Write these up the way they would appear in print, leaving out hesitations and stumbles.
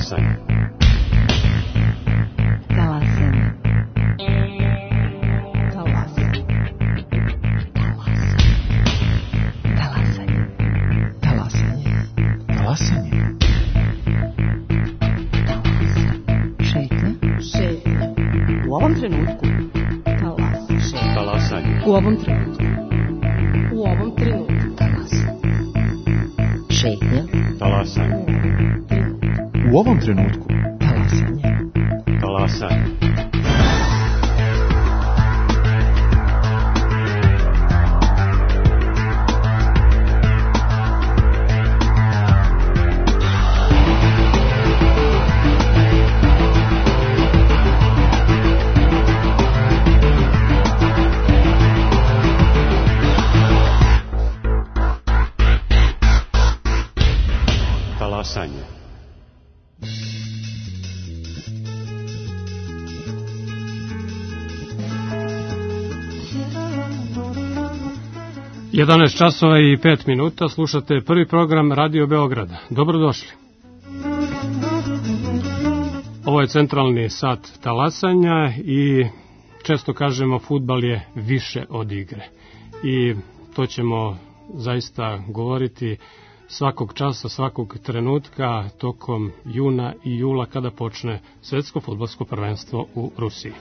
Talasanje. U ovom trenutku. Šetnja. Talasanje. U ovom trenutku. Talasanje. Talasanje. Talasanje. 11 časova i 5 minuta, slušate prvi program Radio Beograda. Dobrodošli. Ovo je centralni sat talasanja i često kažemo fudbal je više od igre. I to ćemo zaista govoriti svakog časa, svakog trenutka tokom juna i jula kada počne svetsko fudbalsko prvenstvo u Rusiji.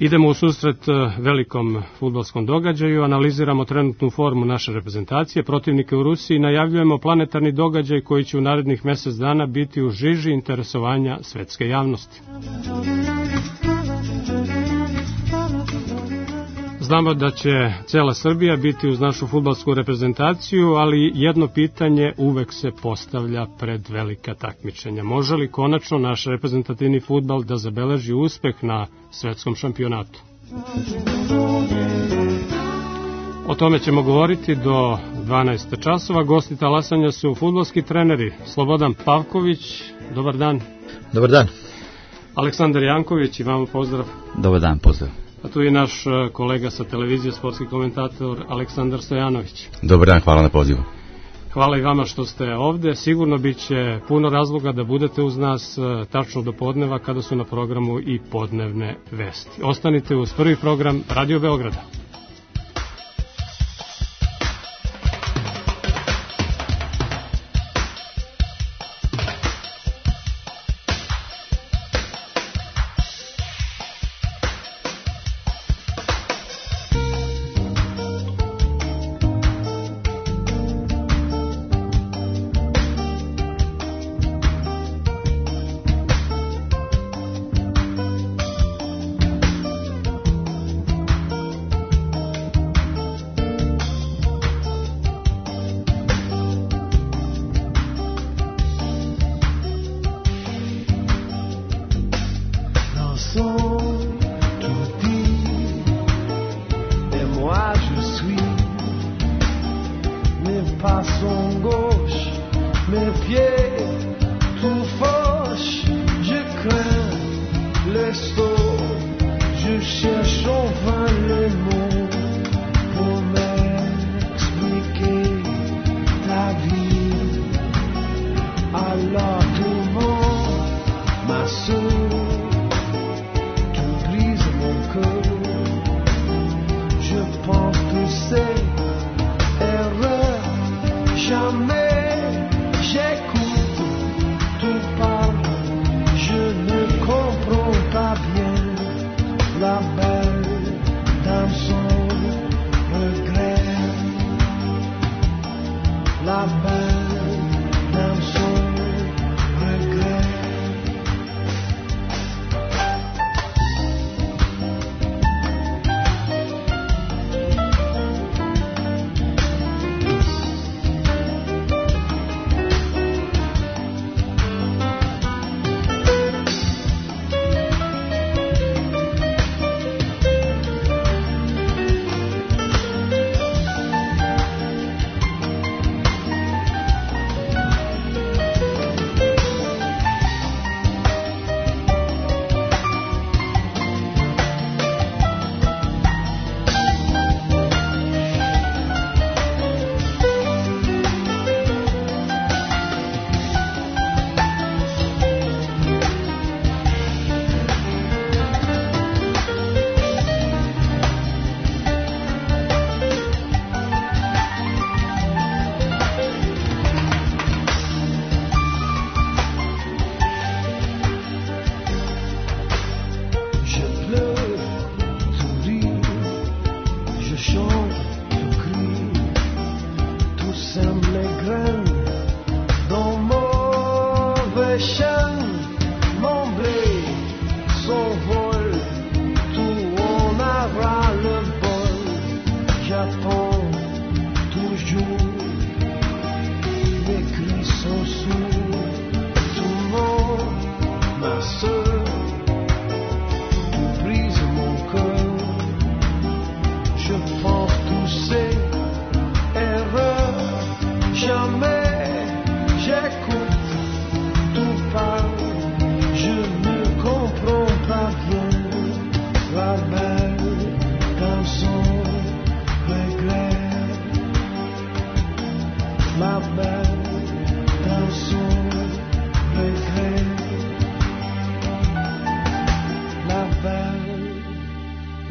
Idemo u susret velikom fudbalskom događaju, analiziramo trenutnu formu naše reprezentacije, protivnike u Rusiji, najavljujemo planetarni događaj koji će u narednih mesec dana biti u žiži interesovanja svetske javnosti. Znamo da će cela Srbija biti uz našu fudbalsku reprezentaciju, ali jedno pitanje uvek se postavlja pred velika takmičenja. Može li konačno naš reprezentativni fudbal da zabeleži uspeh na svetskom šampionatu? O tome ćemo govoriti do 12 časova. Gosti talasanja su fudbalski treneri Slobodan Pavković, dobar dan. Dobar dan. Aleksandar Janković, i vama pozdrav. Dobar dan, pozdrav. A tu je naš kolega sa televizije, sportski komentator Aleksandar Stojanović. Dobar dan, hvala na pozivu. Hvala i vama što ste ovde. Sigurno bit će puno razloga da budete uz nas tačno do podneva kada su na programu i podnevne vesti. Ostanite uz prvi program Radio Beograda. La belle dame son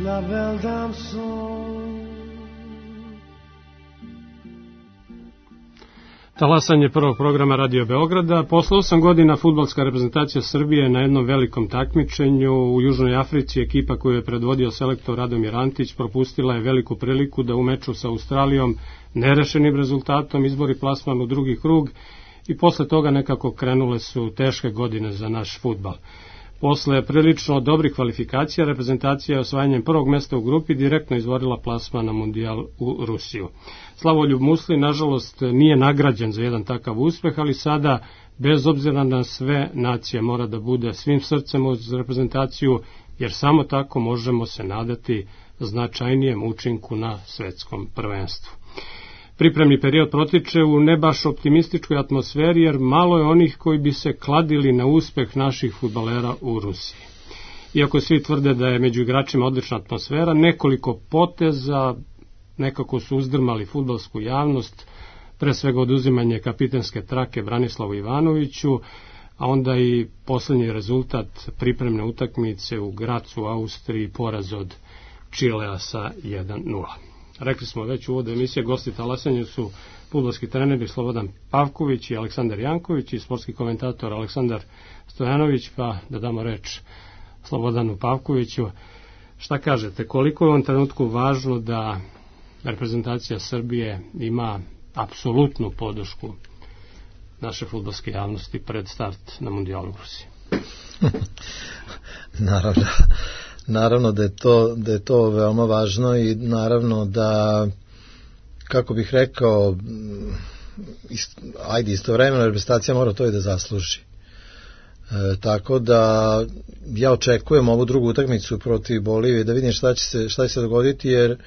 la belle dame son. Talasanje prvog programa Radio Beograda. Posle 8 godina fudbalska reprezentacija Srbije na jednom velikom takmičenju u Južnoj Africi, ekipa koju je predvodio selektor Radomir Antić, propustila je veliku priliku da u meču sa Australijom nerešenim rezultatom izbori plasman u drugi krug i posle toga nekako krenule su teške godine za naš fudbal. Posle prilično dobrih kvalifikacija, reprezentacija je osvajanjem prvog mesta u grupi direktno izvorila plasman na mundijal u Rusiju. Slavoljub Musli, nažalost, nije nagrađen za jedan takav uspeh, ali sada, bez obzira na sve, nacija mora da bude svim srcem uz reprezentaciju, jer samo tako možemo se nadati značajnijem učinku na svetskom prvenstvu. Pripremni period protiče u ne baš optimističkoj atmosferi, jer malo je onih koji bi se kladili na uspeh naših fudbalera u Rusiji. Iako svi tvrde da je među igračima odlična atmosfera, nekoliko poteza nekako su uzdrmali fudbalsku javnost, pre svega oduzimanje kapitenske trake Branislavu Ivanoviću, a onda i posljednji rezultat pripremne utakmice u Gracu, Austriji, poraz od Čilea sa 1:0. Rekli smo već u uvodu emisije, gosti talasanja su fudbalski treneri Slobodan Pavković i Aleksandar Janković i sportski komentator Aleksandar Stojanović, pa da damo reč Slobodanu Pavkoviću. Šta kažete, koliko je u ovom trenutku važno da reprezentacija Srbije ima apsolutnu podršku naše fudbalske javnosti pred start na mundijalu u Rusiji? Naravno da je to veoma važno i naravno da, kako bih rekao, istovremeno reprezentacija mora to i da zasluži. Tako da ja očekujem ovu drugu utakmicu protiv Bolivije da vidim šta će se dogoditi, jer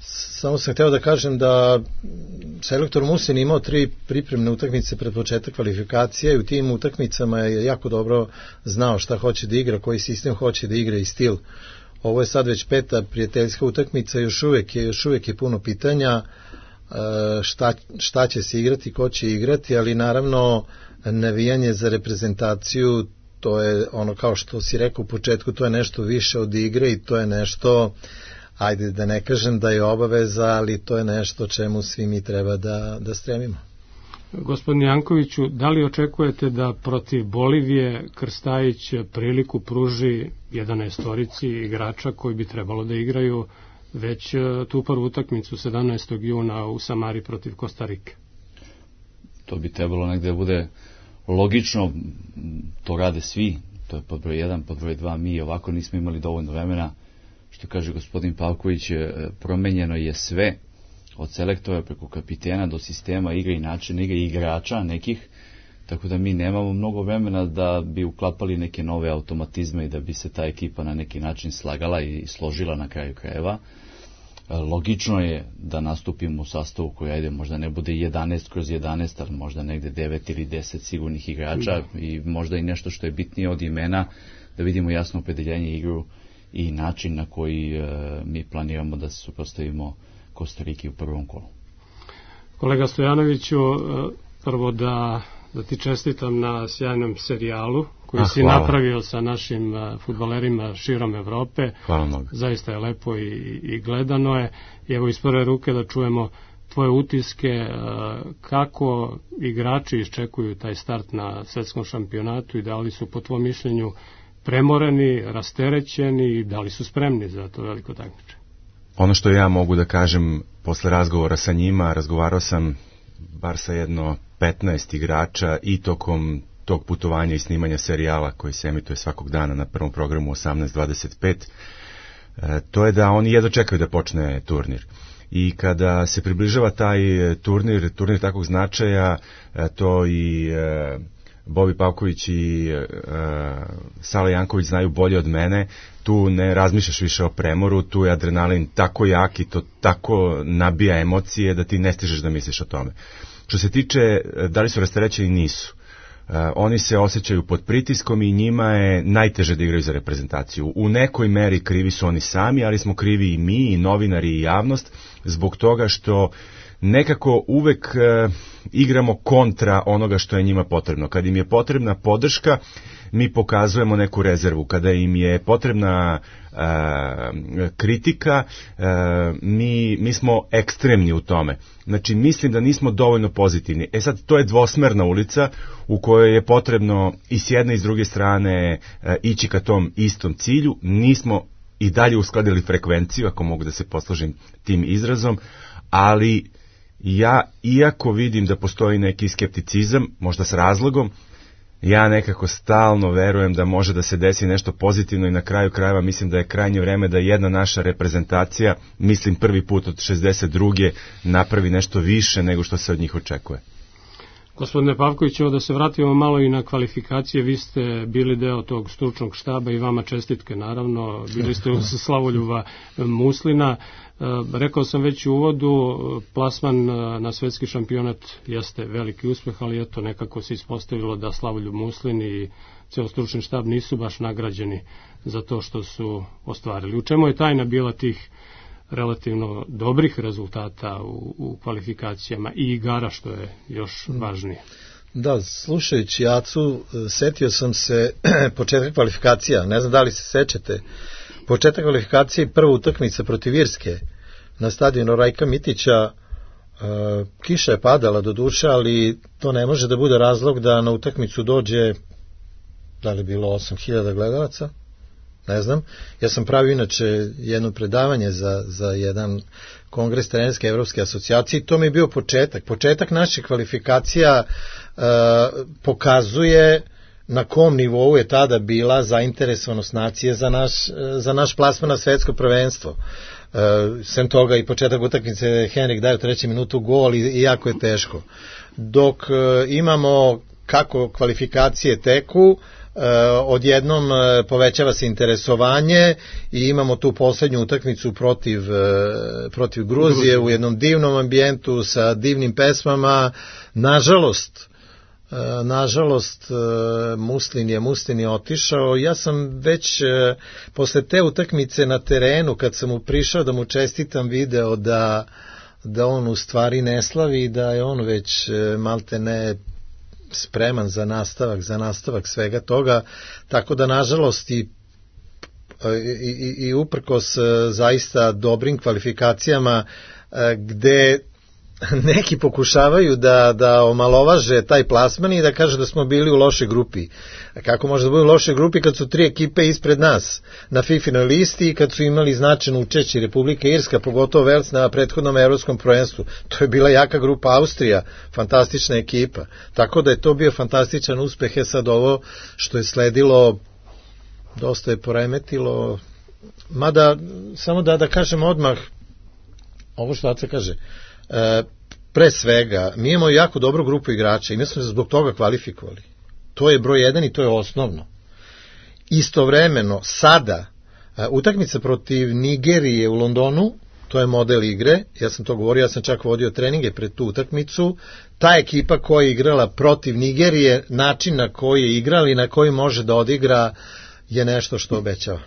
samo sam hteo da kažem da selektor Musin imao 3 pripremne utakmice pred početak kvalifikacije i u tim utakmicama je jako dobro znao šta hoće da igra, koji sistem hoće da igra i stil. Ovo je sad već 5. prijateljska utakmica, još uvijek je puno pitanja šta će se igrati, ko će igrati, ali naravno navijanje za reprezentaciju, to je ono, kao što si rekao u početku, to je nešto više od igre i to je nešto, ajde da ne kažem da je obaveza, ali to je nešto čemu svi mi treba da stremimo. Gospodin Jankoviću, da li očekujete da protiv Bolivije Krstajić priliku pruži 11 igrača koji bi trebalo da igraju već tu prvu utakmicu 17. juna u Samari protiv Kostarike? To bi trebalo negde da bude logično, to rade svi, to je pod broj 1, pod broj 2, mi ovako nismo imali dovoljno vremena. Što kaže gospodin Pavković, promenjeno je sve, od selektora preko kapitena do sistema igre i načina igre i igrača nekih, tako da mi nemamo mnogo vremena da bi uklapali neke nove automatizme i da bi se ta ekipa na neki način slagala i složila na kraju krajeva. Logično je da nastupimo u sastavu koji, ajde, možda ne bude 11/11, ali možda negde 9 ili 10 sigurnih igrača i možda i nešto što je bitnije od imena, da vidimo jasno opredeljenje igru i način na koji mi planiramo da se suprotstavimo Kostariki u prvom kolu. Kolega Stojanoviću, prvo da ti čestitam na sjajnom serijalu koji si napravio sa našim fudbalerima širom Evrope. Hvala mnogo. Zaista je lepo i gledano je. I evo iz prve ruke da čujemo tvoje utiske, kako igrači iščekuju taj start na svetskom šampionatu i da li su po tvojom mišljenju premoreni, rasterećeni i da li su spremni za to veliko takmičenje? Ono što ja mogu da kažem posle razgovora sa njima, razgovarao sam bar sa jedno 15 igrača i tokom tog putovanja i snimanja serijala koji se emituje svakog dana na prvom programu 18:25, to je da oni jedva čekaju da počne turnir. I kada se približava taj turnir takvog značaja, to i Bobi Pavković i Sale Janković znaju bolje od mene, tu ne razmišljaš više o premoru, tu je adrenalin tako jak i to tako nabija emocije da ti ne stižeš da misliš o tome. Što se tiče da li su rasterećeni, nisu. Oni se osjećaju pod pritiskom i njima je najteže da igraju za reprezentaciju. U nekoj meri krivi su oni sami, ali smo krivi i mi, i novinari, i javnost, zbog toga što nekako uvek igramo kontra onoga što je njima potrebno. Kad im je potrebna podrška, mi pokazujemo neku rezervu, kada im je potrebna kritika, mi smo ekstremni u tome. Znači, mislim da nismo dovoljno pozitivni. Sad, to je dvosmerna ulica u kojoj je potrebno i s jedne i s druge strane ići ka tom istom cilju. Nismo i dalje uskladili frekvenciju, ako mogu da se poslužim tim izrazom, ali ja, iako vidim da postoji neki skepticizam, možda s razlogom, ja nekako stalno verujem da može da se desi nešto pozitivno i na kraju krajeva mislim da je krajnje vreme da jedna naša reprezentacija, mislim prvi put od 62. napravi nešto više nego što se od njih očekuje. Gospodine Pavković, evo da se vratimo malo i na kvalifikacije. Vi ste bili deo tog stručnog štaba i vama čestitke, naravno. Bili ste uz Slavoljuba Muslina. Rekao sam već u uvodu, plasman na svetski šampionat jeste veliki uspeh, ali eto, nekako se ispostavilo da Slavoljub Muslin i ceo stručni štab nisu baš nagrađeni za to što su ostvarili. U čemu je tajna bila tih relativno dobrih rezultata u kvalifikacijama i igara, što je još važnije? Da, slušajući Acu, setio sam se početka kvalifikacija, ne znam da li se sećate, početak kvalifikacije i prva utakmica protiv Irske na stadionu Rajka Mitića. Kiša je padala do duše, ali to ne može da bude razlog da na utakmicu dođe, da li bilo 8.000 gledalaca, ne znam. Ja sam pravio inače jedno predavanje za jedan kongres trenerske evropske asocijacije i to mi je bio početak naših kvalifikacija. Pokazuje na kom nivou je tada bila zainteresovanost nacije za naš plasman na svetsko prvenstvo. Sem toga i početak utakmice Henrik daje u 3. minutu gol i jako je teško. Dok imamo kako kvalifikacije teku, odjednom povećava se interesovanje i imamo tu poslednju utakmicu protiv Gruzije u jednom divnom ambijentu sa divnim pesmama. Nažalost Muslin je otišao. Ja sam već posle te utakmice na terenu, kad sam mu prišao da mu čestitam, video da on u stvari ne slavi, da je on već malte ne spreman za nastavak svega toga, tako da nažalost i uprkos zaista dobrim kvalifikacijama gde neki pokušavaju da omalovaže taj plasman i da kažu da smo bili u lošoj grupi. Kako može da bude u lošoj grupi kad su 3 ekipe ispred nas na FIFA-noj listi i kad su imali značajno učešće Republika Irska, pogotovo Vels na prethodnom evropskom prvenstvu. To je bila jaka grupa. Austrija, fantastična ekipa. Tako da je to bio fantastičan uspeh. Sad ovo što je sledilo dosta je poremetilo. Mada, samo da kažem odmah ovo što Aca kaže, pre svega, mi imamo jako dobru grupu igrača i mi smo se zbog toga kvalifikovali. To je broj 1 i to je osnovno. Istovremeno, sada, utakmica protiv Nigerije u Londonu, to je model igre, ja sam to govorio, ja sam čak vodio treninge pred tu utakmicu. Ta ekipa koja je igrala protiv Nigerije, način na koji je igrala i na koji može da odigra je nešto što obećava.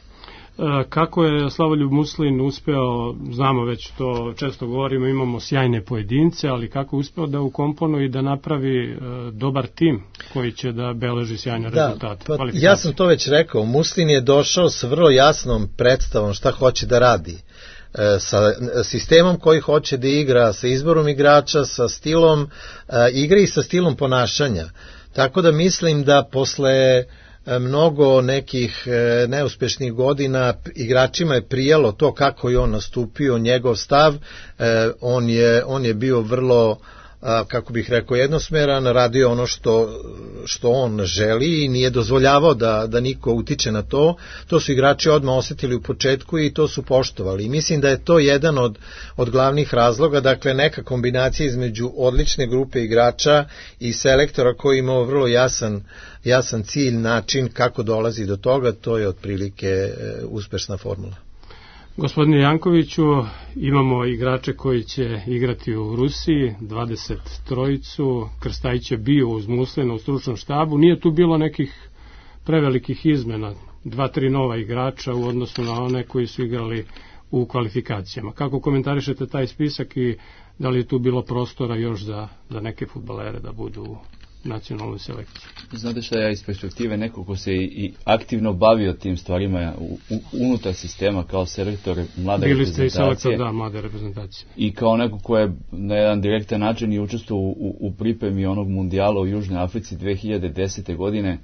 Kako je Slavoljub Muslin uspeo, znamo već to često govorimo, imamo sjajne pojedince, ali kako je uspeo da ukomponuje i da napravi dobar tim koji će da beleži sjajne rezultate? Ja sam to već rekao, Muslin je došao s vrlo jasnom predstavom šta hoće da radi, sa sistemom koji hoće da igra, sa izborom igrača, sa stilom igre i sa stilom ponašanja. Tako da mislim da posle mnogo nekih neuspešnih godina igračima je prijalo to kako je on nastupio, njegov stav. On je bio vrlo, kako bih rekao, jednosmeran, radio ono što on želi i nije dozvoljavao da niko utiče na to. To su igrači odmah osetili u početku i to su poštovali. I mislim da je to jedan od glavnih razloga, dakle neka kombinacija između odlične grupe igrača i selektora koji imao vrlo jasan cilj, način kako dolazi do toga, to je otprilike uspešna formula. Gospodine Jankoviću, imamo igrače koji će igrati u Rusiji, 23, Krstajić je bio uz Muslina u stručnom štabu, nije tu bilo nekih prevelikih izmena, 2-3 nova igrača u odnosu na one koji su igrali u kvalifikacijama. Kako komentarišete taj spisak i da li je tu bilo prostora još za neke fudbalere da budu nacionalnoj selekciji. Znate šta, ja iz perspektive neko ko se i aktivno bavio tim stvarima unutar sistema kao selektor mlade reprezentacije. Bili ste i selektor, mlade reprezentacije. I kao neko ko je na jedan direktan način i učestvovao u pripremi onog mundijala u Južnoj Africi 2010. godine,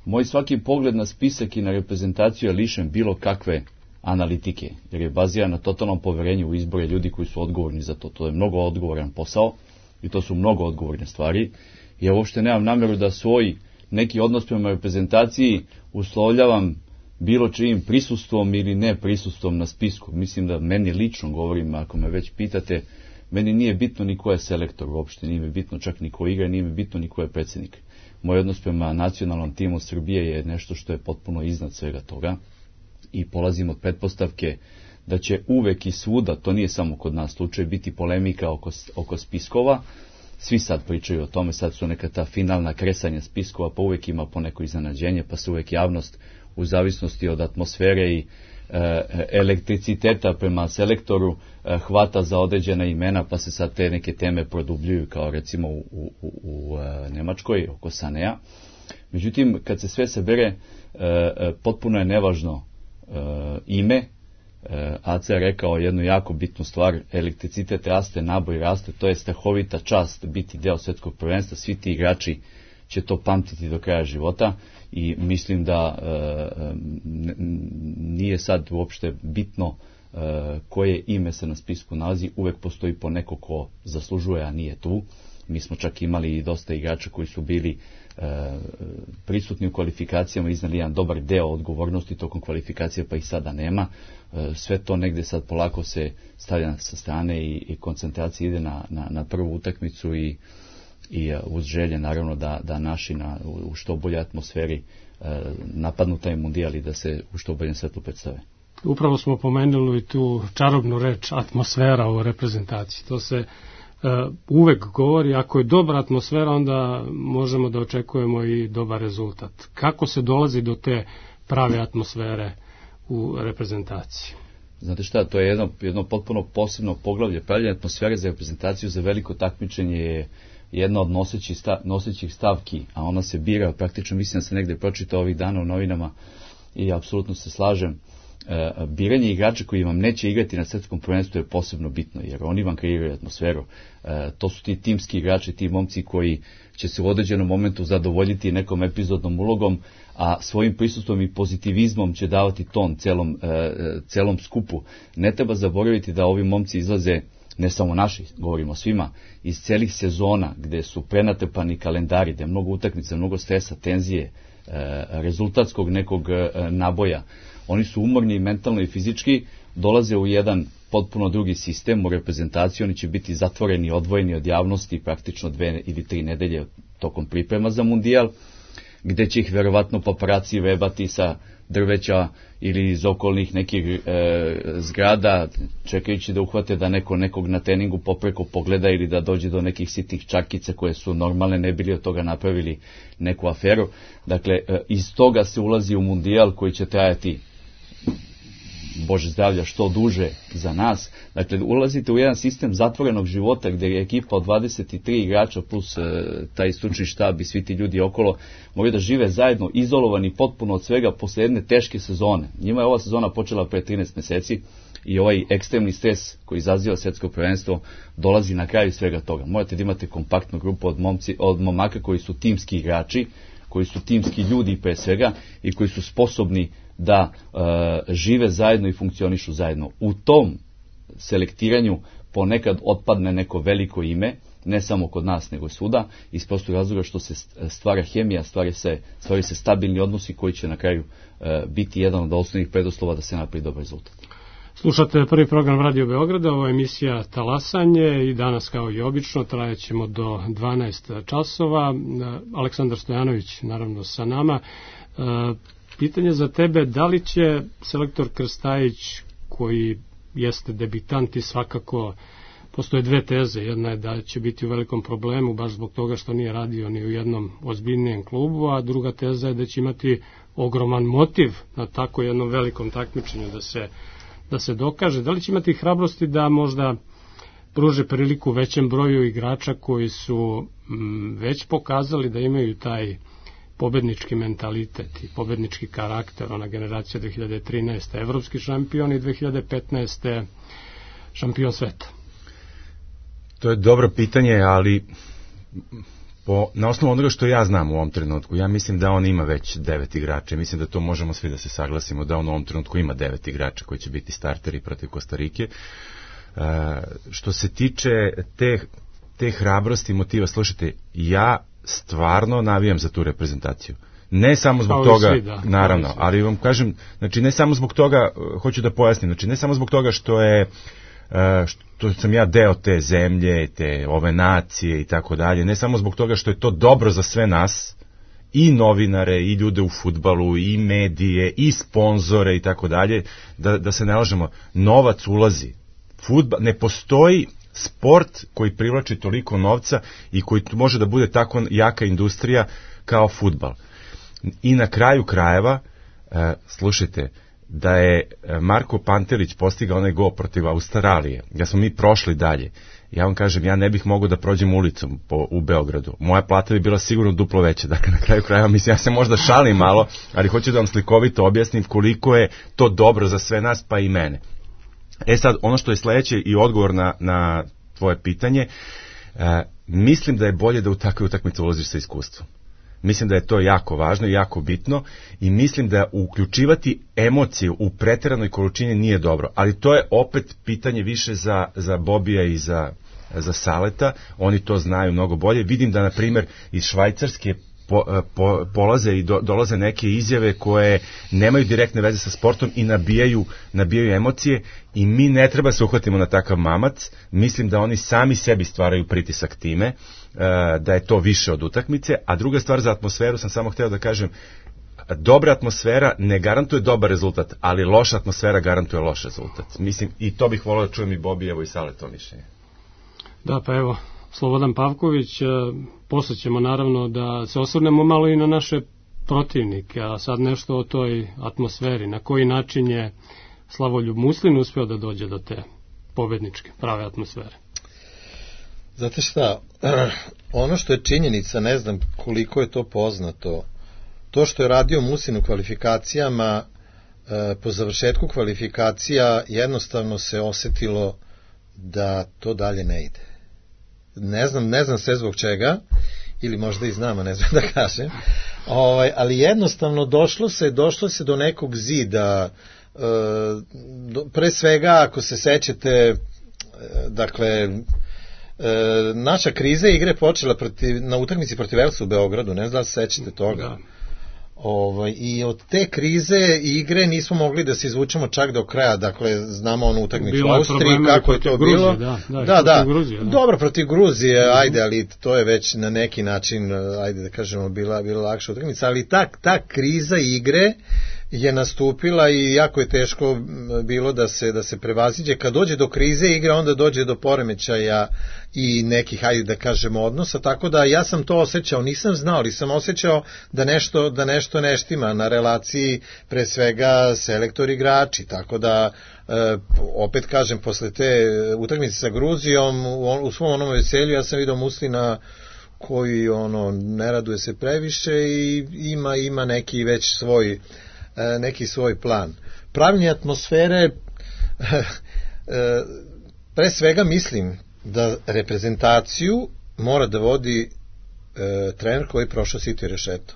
moj svaki pogled na spisak i na reprezentaciju je lišen bilo kakve analitike, jer je baziran na totalnom poverenju u izbore ljudi koji su odgovorni za to. To je mnogo odgovoran posao i to su mnogo odgovorne stvari. Ja uopšte nemam namjeru da svoj neki odnos prema reprezentaciji uslovljavam bilo čijim prisustvom ili ne prisustvom na spisku. Mislim da meni lično govorim, ako me već pitate, meni nije bitno ni ko je selektor uopšte, nije mi bitno čak ni ko igra, nije mi bitno ni ko je predsjednik. Moj odnos prema nacionalnom timu Srbije je nešto što je potpuno iznad svega toga i polazim od pretpostavke da će uvek i svuda, to nije samo kod nas slučaj, biti polemika oko spiskova. Svi sad pričaju o tome, sad su neka ta finalna kresanja spiskova, pa uvek ima poneko iznenađenje, pa se uvek javnost u zavisnosti od atmosfere i elektriciteta prema selektoru hvata za određena imena, pa se sad te neke teme produbljuju, kao recimo u Nemačkoj oko Sanea. Međutim, kad se sve sabere, potpuno je nevažno ime. Aca je rekao jednu jako bitnu stvar: elektricitet raste, naboj raste, to je strahovita čast biti deo svetskog prvenstva, svi ti igrači će to pamtiti do kraja života i mislim da nije sad uopšte bitno koje ime se na spisku nalazi, uvek postoji po neko ko zaslužuje, a nije tu. Mi smo čak imali i dosta igrača koji su bili prisutni u kvalifikacijama, iznali jedan dobar deo odgovornosti tokom kvalifikacija, pa ih sada nema. Sve to negde sad polako se stavlja sa strane i koncentracija ide na prvu utakmicu i uz želje naravno da naši u što bolje atmosferi napadnu taj mundijal i da se u što boljem svetlu predstave. Upravo smo pomenuli tu čarobnu reč atmosfera u reprezentaciji. To se uvek govori, ako je dobra atmosfera, onda možemo da očekujemo i dobar rezultat. Kako se dolazi do te prave atmosfere u reprezentaciji? Znate šta, to je jedno potpuno posebno poglavlje. Pravljenje atmosfere za reprezentaciju za veliko takmičenje je jedna od nosećih stavki, a ona se bira, praktično mislim da se negde pročitao ovih dana u novinama i apsolutno se slažem. Biranje igrača koji vam neće igrati na svetskom prvenstvu je posebno bitno, jer oni vam kreiraju atmosferu. To su ti timski igrači, ti momci koji će se u određenom momentu zadovoljiti nekom epizodnom ulogom, a svojim prisustvom i pozitivizmom će davati ton celom skupu. Ne treba zaboraviti da ovi momci izlaze, ne samo naši, govorimo svima, iz celih sezona gde su prenatrpani kalendari, gde je mnogo utakmica, mnogo stresa, tenzije, rezultatskog nekog naboja. Oni su umorni mentalno i fizički, dolaze u jedan potpuno drugi sistem u reprezentaciji, oni će biti zatvoreni, odvojeni od javnosti praktično 2 ili 3 nedelje tokom priprema za mundijal, gde će ih verovatno paparaci vebati sa drveća ili iz okolnih nekih zgrada, čekajući da uhvate da neko nekog na treningu popreko pogleda ili da dođe do nekih sitnih čarkica koje su normalne, ne bili od toga napravili neku aferu. Dakle, iz toga se ulazi u mundijal koji će trajati, Bože zdravlja, što duže za nas. Dakle, ulazite u jedan sistem zatvorenog života gdje je ekipa od 23 igrača plus taj stručni štab i svi ti ljudi okolo moraju da žive zajedno, izolovani potpuno od svega posle jedne teške sezone. Njima je ova sezona počela pre 13 meseci i ovaj ekstremni stres koji izaziva svetsko prvenstvo dolazi na kraju svega toga. Morate da imate kompaktnu grupu od momaka koji su timski igrači, koji su timski ljudi pre svega i koji su sposobni da žive zajedno i funkcionišu zajedno. U tom selektiranju ponekad otpadne neko veliko ime, ne samo kod nas nego i svuda, iz prostog razloga što se stvara hemija, stvaraju se stabilni odnosi koji će na kraju biti jedan od osnovnih preduslova da se napravi dobar rezultat. Slušate prvi program Radio Beograda, ovo je emisija Talasanje i danas kao i obično trajaćemo do 12 časova. Aleksandar Stojanović naravno sa nama. Pitanje za tebe, da li će selektor Krstajić, koji jeste debitant i svakako postoje dve teze, jedna je da će biti u velikom problemu baš zbog toga što nije radio ni u jednom ozbiljnijem klubu, a druga teza je da će imati ogroman motiv na tako jednom velikom takmičenju da se dokaže. Da li će imati hrabrosti da možda pruže priliku većem broju igrača koji su već pokazali da imaju taj pobednički mentalitet i pobednički karakter. Ona generacija 2013. evropski šampion i 2015. šampion sveta. To je dobro pitanje, ali na osnovu onoga što ja znam u ovom trenutku, ja mislim da on ima već 9 igrača. Mislim da to možemo svi da se saglasimo, da on u ovom trenutku ima 9 igrača koji će biti starteri protiv Kostarike. Što se tiče te hrabrosti i motiva, slušajte, ja stvarno navijam za tu reprezentaciju. Ne samo zbog toga, naravno, ali vam kažem, znači ne samo zbog toga, hoću da pojasnim, znači ne samo zbog toga što sam ja deo te zemlje, te ove nacije i tako dalje, ne samo zbog toga što je to dobro za sve nas, i novinare, i ljude u fudbalu, i medije, i sponzore i tako dalje, da se ne lažemo, novac ulazi. Ne postoji sport koji privlači toliko novca i koji može da bude tako jaka industrija kao fudbal. I na kraju krajeva, slušajte, da je Marko Pantelić postigao onaj gol protiv Australije, da smo mi prošli dalje, ja vam kažem, ja ne bih mogao da prođem ulicom u Beogradu. Moja plata bi bila sigurno duplo veća. Dakle, na kraju krajeva, mislim, ja se možda šalim malo, ali hoću da vam slikovito objasnim koliko je to dobro za sve nas, pa i mene. Sad, ono što je sledeće i odgovor na tvoje pitanje, mislim da je bolje da u takve utakmice ulaziš sa iskustvom. Mislim da je to jako važno i jako bitno i mislim da uključivati emocije u preteranoj količini nije dobro, ali to je opet pitanje više za Bobija i za Saleta, oni to znaju mnogo bolje. Vidim da, na primjer, iz Švajcarske polaze i dolaze neke izjave koje nemaju direktne veze sa sportom i nabijaju emocije i mi ne treba se uhvatimo na takav mamac. Mislim da oni sami sebi stvaraju pritisak time, da je to više od utakmice. A druga stvar, za atmosferu sam samo hteo da kažem, dobra atmosfera ne garantuje dobar rezultat, ali loša atmosfera garantuje loš rezultat. Mislim, i to bih volio da čujem i Bobijevo i Saletovo mišljenje. Da, pa evo, Slobodan Pavković, posle ćemo naravno da se osvrnemo malo i na naše protivnike, a sad nešto o toj atmosferi, na koji način je Slavoljub Muslin uspeo da dođe do te pobedničke, prave atmosfere. Znate šta, ono što je činjenica, ne znam koliko je to poznato, to što je radio Muslin u kvalifikacijama, po završetku kvalifikacija jednostavno se osetilo da to dalje ne ide. Ne znam sve zbog čega, ili možda i znam, a ne znam da kažem, ali jednostavno došlo se do nekog zida, pre svega ako se sećate, dakle, naša kriza igre počela na utakmici protiv Elsa u Beogradu, ne znam da se sećate toga. Da. I od te krize igre nismo mogli da se izvučemo čak do kraja, dakle znamo onu utakmicu u Austriji, kako je to bilo. Da. Dobro, protiv Gruzije, ajde, ali to je već na neki način, ajde da kažemo, bila lakša utakmica, ali ta kriza igre je nastupila i jako je teško bilo da se prevaziđe. Kad dođe do krize igre, onda dođe do poremećaja i nekih, hajde da kažemo, odnosa, tako da ja sam to osjećao, nisam znao, ali sam osjećao da nešto ne štima na relaciji, pre svega selektor igrači, tako da opet kažem, posle te utakmice sa Gruzijom, u svom onom veselju ja sam vidio Muslina koji ne raduje se previše i ima neki već svoj plan. Pravljenje atmosfere, pre svega mislim da reprezentaciju mora da vodi trener koji je prošao sito i rešeto.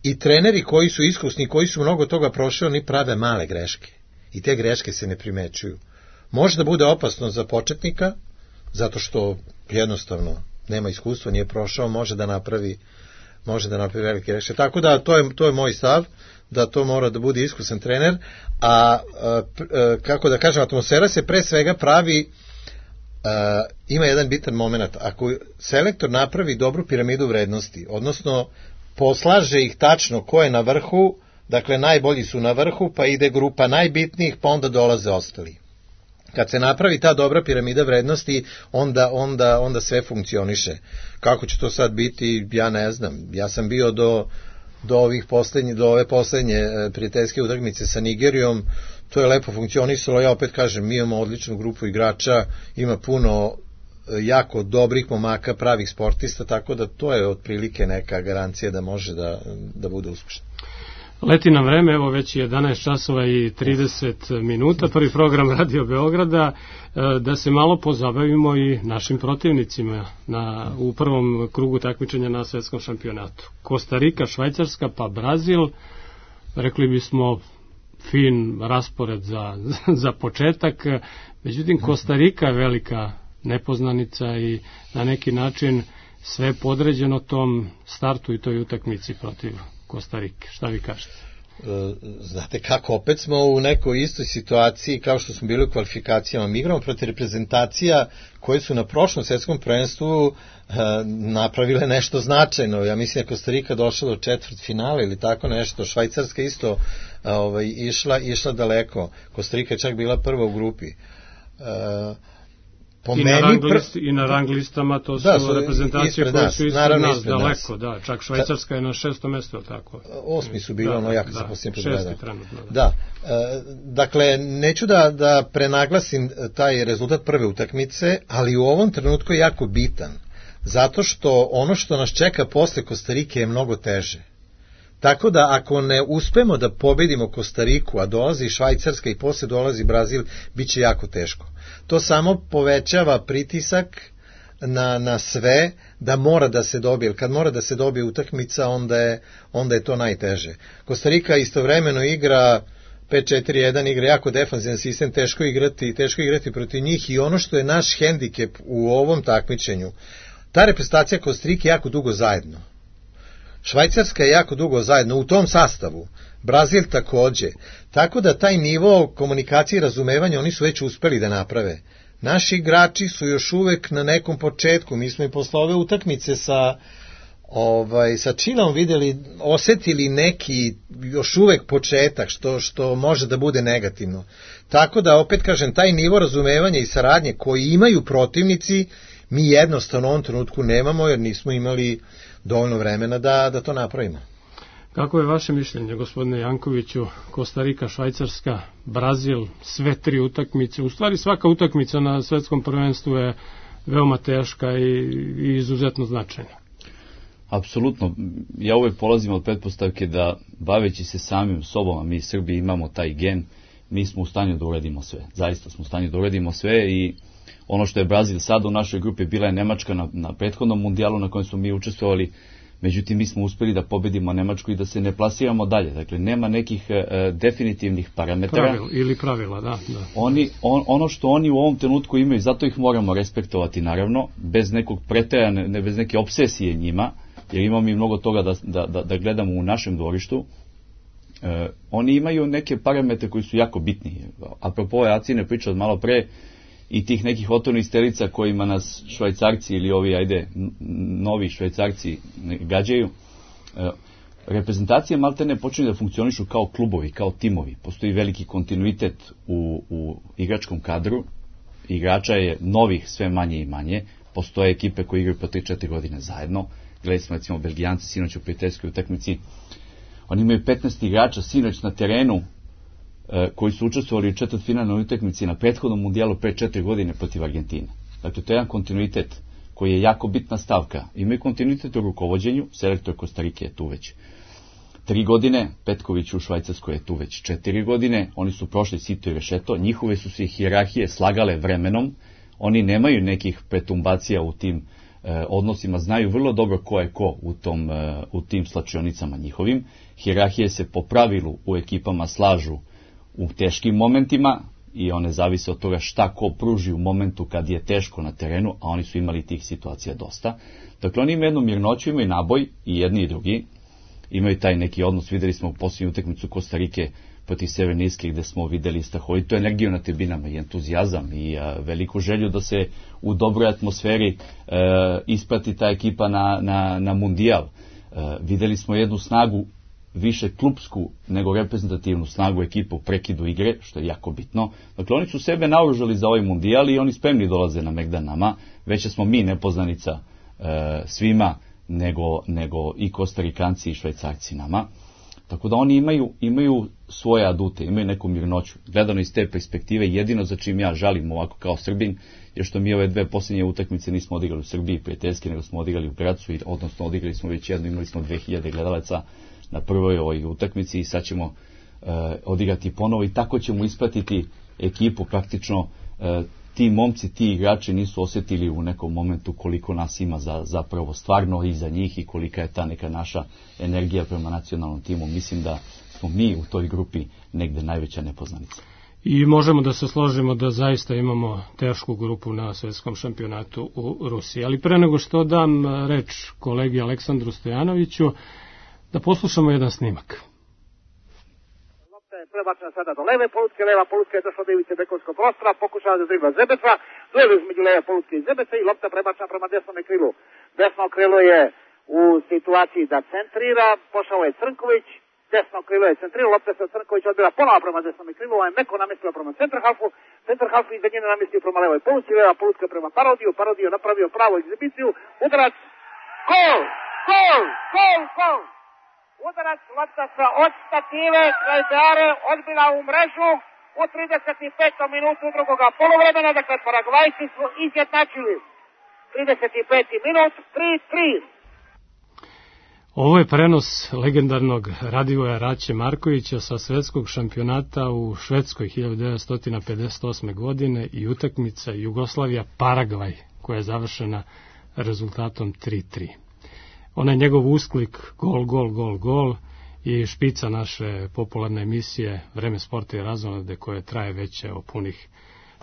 I treneri koji su iskusni, koji su mnogo toga prošli, oni prave male greške. I te greške se ne primećuju. Može da bude opasno za početnika, zato što jednostavno nema iskustva, nije prošao, može da napravi velike greške. Tako da to je moj stav, da to mora da bude iskusan trener, a kako da kažem, atmosfera se pre svega pravi, ima jedan bitan moment, ako selektor napravi dobru piramidu vrednosti, odnosno poslaže ih tačno ko je na vrhu, dakle najbolji su na vrhu, pa ide grupa najbitnijih, pa onda dolaze ostali. Kad se napravi ta dobra piramida vrednosti, onda sve funkcioniše. Kako će to sad biti, ja ne znam. Ja sam bio do ove poslednje prijateljske utakmice sa Nigerijom, to je lepo funkcionisalo. Ja opet kažem, mi imamo odličnu grupu igrača, ima puno jako dobrih momaka, pravih sportista, tako da to je otprilike neka garancija da može da bude uspešno. Leti nam vreme, evo već je 11 časova i 30 minuta, prvi program Radio Beograda, da se malo pozabavimo i našim protivnicima u prvom krugu takmičenja na svetskom šampionatu. Kostarika, Švajcarska pa Brazil, rekli bismo fin raspored za početak, međutim Kostarika je velika nepoznanica i na neki način sve podređeno tom startu i toj utakmici protiv Kostarike. Šta vi kažete? Znate kako, opet smo u nekoj istoj situaciji kao što smo bili u kvalifikacijama. Mi igramo protiv reprezentacija koje su na prošlom svetskom prvenstvu napravile nešto značajno. Ja mislim da Kostarika došla do četvrtfinala ili tako nešto. Švajcarska isto išla daleko. Kostarika je čak bila prva u grupi. I na rang listama to su reprezentacije koje su ispred nas daleko, da, čak Švajcarska je na 6. mesto, tako. 8. su bili, jako se posljednje predgleda. 6. trenutno. Da, dakle, neću da prenaglasim taj rezultat prve utakmice, ali u ovom trenutku je jako bitan, zato što ono što nas čeka posle Kostarike je mnogo teže. Tako da ako ne uspemo da pobedimo Kostariku, a dolazi Švajcarska i posle dolazi Brazil, bit će jako teško. To samo povećava pritisak na sve da mora da se dobije, jer kad mora da se dobije utakmica, onda je to najteže. Kostarika istovremeno igra 5-4-1, igra jako defanzivan sistem, teško igrati protiv njih, i ono što je naš hendikep u ovom takmičenju, ta reprezentacija Kostarike je jako dugo zajedno. Švajcarska je jako dugo zajedno u tom sastavu, Brazil takođe, tako da taj nivo komunikacije i razumevanja oni su već uspeli da naprave. Naši igrači su još uvek na nekom početku, mi smo i posle ove utakmice sa Čilom osetili neki još uvek početak, što može da bude negativno. Tako da, opet kažem, taj nivo razumevanja i saradnje koji imaju protivnici, mi jednostavno u ovom trenutku nemamo, jer nismo imali dovoljno vremena da to napravimo. Kako je vaše mišljenje, gospodine Jankoviću, Kostarika, Švajcarska, Brazil, sve tri utakmice? U stvari svaka utakmica na svetskom prvenstvu je veoma teška i izuzetno značajna. Apsolutno. Ja uvek polazim od pretpostavke da, baveći se samim sobom, a mi Srbi imamo taj gen, mi smo u stanju da uradimo sve. Zaista smo u stanju da uradimo sve, i ono što je Brazil sad u našoj grupi, bila je Nemačka na prethodnom mundijalu na kojem smo mi učestvovali, međutim mi smo uspeli da pobedimo Nemačku i da se ne plasiramo dalje. Dakle, nema nekih definitivnih parametara. Pravila, da. Ono što oni u ovom trenutku imaju, zato ih moramo respektovati, naravno, bez nekog preterane, bez neke obsesije njima, jer imamo mi mnogo toga da gledamo u našem dvorištu. Oni imaju neke parametre koji su jako bitni. Apropo ove Acine priče od malo pre, i tih nekih otvornih stelica kojima nas Švajcarci ili ovi, novi Švajcarci gađaju, reprezentacije maltene počinju da funkcionišu kao klubovi, kao timovi. Postoji veliki kontinuitet u igračkom kadru, igrača je novih sve manje i manje, postoje ekipe koje igraju po 3-4 godine zajedno. Gledali smo recimo Belgijanci sinoć u prijateljskoj utakmici, oni imaju 15 igrača sinoć na terenu koji su učestvovali u četvrtfinalnoj utakmici na prethodnom mundijalu pre 4 godine protiv Argentine. Dakle, to je jedan kontinuitet koji je jako bitna stavka. Imaju kontinuitet u rukovođenju, selektor Kostarike je tu već 3 godine, Petković u Švajcarskoj je tu već 4 godine, oni su prošli sito i rešeto, njihove su se hijerarhije slagale vremenom, oni nemaju nekih pretumbacija u tim odnosima, znaju vrlo dobro ko je ko u tim slačionicama njihovim. Hijerarhije se po pravilu u ekipama slažu u teškim momentima i one zavise od toga šta ko pruži u momentu kad je teško na terenu, a oni su imali tih situacija dosta. Dakle, oni imaju jednu mirnoću, imaju naboj, i jedni i drugi, imaju taj neki odnos. Videli smo u posljednju utakmicu Kostarike protiv Severne Irske, gde smo videli strahovitu energiju na tribinama i entuzijazam i veliku želju da se u dobroj atmosferi isprati ta ekipa na mundijal. Videli smo jednu snagu, više klupsku nego reprezentativnu snagu ekipa u prekidu igre, što je jako bitno. Dakle, oni su sebe naoružali za ovaj mundijal i oni spremni dolaze na megdan nama. Veće smo mi nepoznanica svima nego i Kostarikanci i Švajcarci nama. Tako da oni imaju svoje adute, imaju neku mirnoću. Gledano iz te perspektive, jedino za čim ja žalim ovako kao Srbin, je što mi ove 2 posljednje utakmice nismo odigrali u Srbiji prijateljski, nego smo odigrali u Gracu, odnosno odigrali smo već jednu, imali smo 2000 gledalaca na prvoj ovoj utakmici i sad ćemo odigrati ponovo i tako ćemo ispratiti ekipu praktično. Ti momci, ti igrači nisu osjetili u nekom momentu koliko nas ima zapravo stvarno iza njih i kolika je ta neka naša energija prema nacionalnom timu. Mislim da smo mi u toj grupi negde najveća nepoznanica. I možemo da se složimo da zaista imamo tešku grupu na svetskom šampionatu u Rusiji. Ali pre nego što dam reč kolegi Aleksandru Stojanoviću, da poslušamo jedan snimak. Prebačena sada do leve polutke, leva polutka je došla do ivice bekovskog prostora, pokušava da dribla Zebeca, duel između leve polutke i Zebeca i lopta prebačena prema desnom krilu. Desno krilo je u situaciji da centrira, pošao je Crnković, desno krilo je centrirao, lopta se od Crnkovića odbila ponovo prema desnom krilu, on je meko namestio prema centarhalfu iza njene namestio prema levoj polutci, leva polutka prema Parodiju napravio pravu egzibiciju, udarac, gol! Udarac, lopta sa odstative, Krajbeare odbila u mrežu u 35. minutu drugoga poluvremena, dakle Paragvajci su izjednačili. 35. minut, 3-3. Ovo je prenos legendarnog Radivoja Raće Markovića sa svetskog šampionata u Švedskoj 1958. godine i utakmica Jugoslavija-Paragvaj koja je završena rezultatom 3-3. Onaj njegov usklik gol i špica naše popularne emisije Vreme sporta i razonode koje traje već punih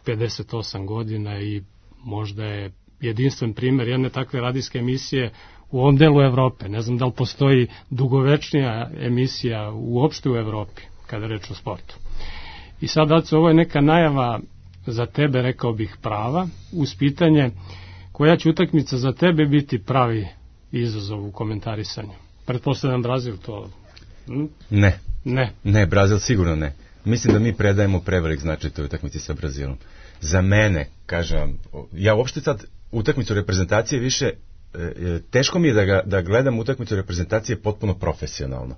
58 godina i možda je jedinstven primjer jedne takve radijske emisije u ovom delu Evrope. Ne znam da li postoji dugovečnija emisija uopšte u Evropi kada reč o sportu. I sad, Aco, ovo je neka najava za tebe, rekao bih prava, uz pitanje koja će utakmica za tebe biti pravi izazov u komentarisanju. Pretpostavljam Brazil to... Ne, Brazil sigurno ne. Mislim da mi predajemo prevelik značaj toj utakmici sa Brazilom. Za mene, kažem, ja uopšte sad utakmicu reprezentacije više, teško mi je da gledam utakmicu reprezentacije potpuno profesionalno.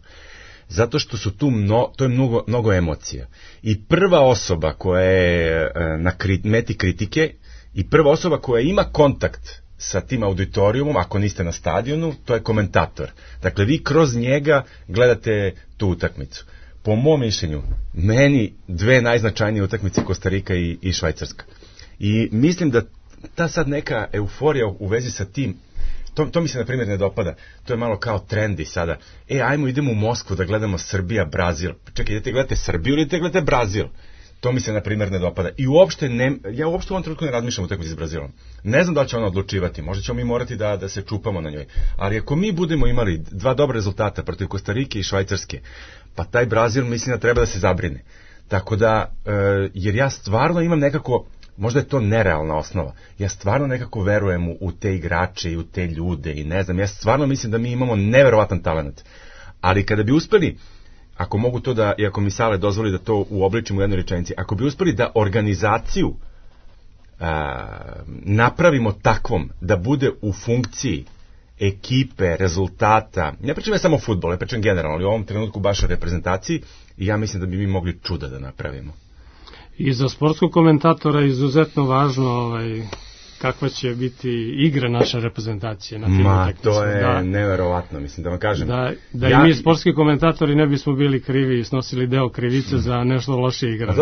Zato što su tu to je mnogo emocija. I prva osoba koja je na meti kritike i prva osoba koja ima kontakt sa tim auditorijumom, ako niste na stadionu, to je komentator. Dakle, vi kroz njega gledate tu utakmicu. Po mom mišljenju, meni 2 najznačajnije utakmice Kostarika i Švajcarska. I mislim da ta sad neka euforija u vezi sa tim, to mi se na primjer ne dopada. To je malo kao trendi sada. Ajmo idemo u Moskvu da gledamo Srbija, Brazil. Čekaj, idete gledate Srbiju ili idete gledate Brazil? To mi se na primjer ne dopada. I ja uopšte u ovom trenutku ne razmišljam o utakmici s Brazilom. Ne znam da li će ona odlučivati, možda ćemo mi morati da se čupamo na njoj. Ali ako mi budemo imali 2 dobra rezultata protiv Kostarike i Švajcarske, pa taj Brazil mislim da treba da se zabrine. Tako da, jer ja stvarno imam nekako, možda je to nerealna osnova, ja stvarno nekako verujem u te igrače i u te ljude i ne znam, ja stvarno mislim da mi imamo neverovatan talent. Ali kada bi uspeli, ako mogu to da, i ako mi Sale dozvoli da to uobličim u jednoj rečenici, ako bi uspeli da organizaciju napravimo takvom da bude u funkciji ekipe, rezultata, ne pričam ja samo o fudbalu, ne pričam generalno, ali u ovom trenutku baš o reprezentaciji, i ja mislim da bi mi mogli čuda da napravimo. I za sportskog komentatora je izuzetno važno kakva će biti igra naše reprezentacije na tim utakmicama. To je neverovatno, mislim da vam kažem. Da i mi sportski komentatori ne bismo bili krivi i snosili deo krivice za nešto loše igra.